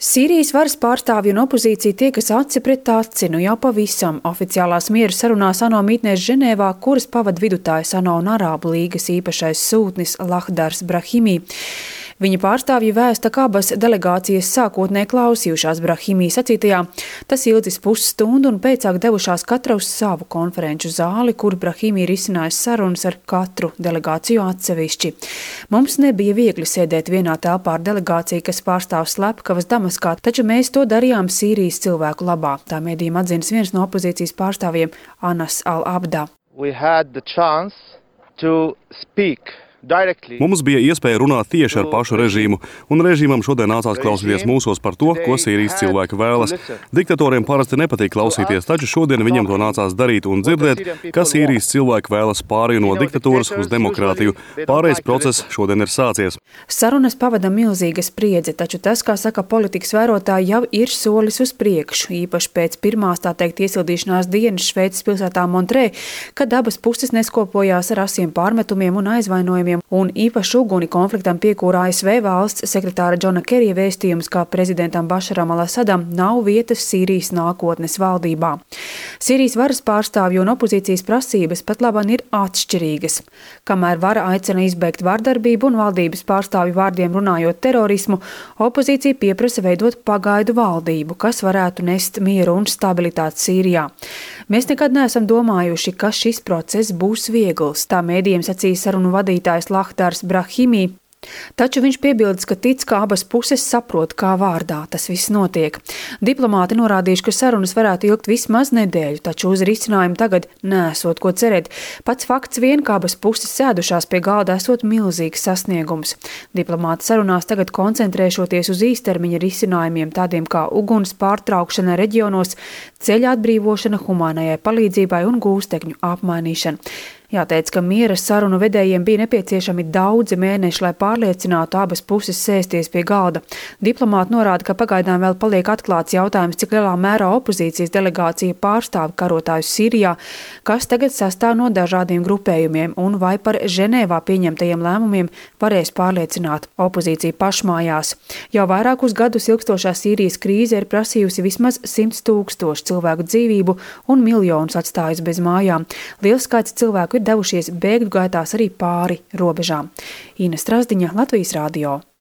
Sīrijas varas pārstāvji un opozīcija tiekas aci pret aci jau pavisam oficiālās miera sarunās ANO mītnēs Ženēvā, kuras pavada vidutājs ANO un Arābu līgas īpašais sūtnis Lahdars Brahimi. Viņa pārstāvji vēsta, ka abas delegācijas sākotnēji klausījušās Brahimī sacītajā. Tas ilgs pusstundu un pēcāk devušās katra uz savu konferenču zāli, kur Brahimi ir izcinājis sarunas ar katru delegāciju atsevišķi. Mums nebija viegli sēdēt vienā telpā ar delegāciju, kas pārstāv slepkavas Damaskā, taču mēs to darījām Sīrijas cilvēku labā. Tā mēdījiem atzinas viens no opozīcijas pārstāvjiem Anas Al-Abda. Mums bija iespēja runāt tieši ar pašu režīmu, un režīmam šodien nācās klausīties mūsos par to, ko Sīrijas cilvēki vēlas. Diktatoriem parasti nepatīk klausīties, taču šodien viņam to nācās darīt un dzirdēt, ka Sīrijas cilvēki vēlas pārēju no diktatūras uz demokrātiju. Pārējais process šodien ir sācies. Sarunas pavada milzīga spriedze, taču tas, kā saka politikas vērotāji, jau ir solis uz priekšu, īpaši pēc pirmās, tā teikt, iesildīšanās dienas Šveices pilsētā Montrē, kad abas puses neskopojās ar asiem pārmetumiem un aizvainojumiem. Un īpaši uguni konfliktam piekūra ASV valsts sekretāra Džona Kerija vēstījums, ka prezidentam Bašaram al-Asadam nav vietas Sīrijas nākotnes valdībā. Sīrijas varas pārstāvju un opozīcijas prasības pat labāk ir atšķirīgas. Kamēr vara aicina izbeigt vardarbību un valdības pārstāvju vārdiem runājot terorismu, opozīcija pieprasa veidot pagaidu valdību, kas varētu nest mieru un stabilitāti Sīrijā. Mēs nekad neesam domājuši, ka šis process būs viegls, tā mēdījiem sacīja sarunu vadītājs Lahdars Brahimi. Taču viņš piebildes, ka tic, ka abas puses saprot, kā vārdā tas viss notiek. Diplomāti norādījuši, ka sarunas varētu ilgt vismaz nedēļu, taču uz risinājumu tagad nesot ko cerēt. Pats fakts vien, ka abas puses sēdušās pie galda, esot milzīgs sasniegums. Diplomāti sarunās tagad koncentrēšoties uz īstermiņa risinājumiem, tādiem kā uguns pārtraukšana reģionos, ceļa atbrīvošana humānajai palīdzībai un gūstekņu apmainīšana. Jāteic, ka miera sarunu vedējiem bija nepieciešami daudzi mēneši, lai pārliecinātu abas puses sēsties pie galda. Diplomāti norāda, ka pagaidām vēl paliek atklāts jautājums, cik lielā mērā opozīcijas delegācija pārstāv karotājus Sīrijā, kas tagad sastāv no dažādiem grupējumiem, un vai par Ženēvā pieņemtajiem lēmumiem varēs pārliecināt opozīciju pašmājās. Jau vairākus gadus ilgstošā Sīrijas krīze ir prasījusi vismaz 100 000 cilvēku dzīvību un miljonus atstājusi bez mājām. Liels skaits cilvēku ir devušies bēgļu gaitās arī pāri robežām. Ina Strasdiņa, Latvijas radio.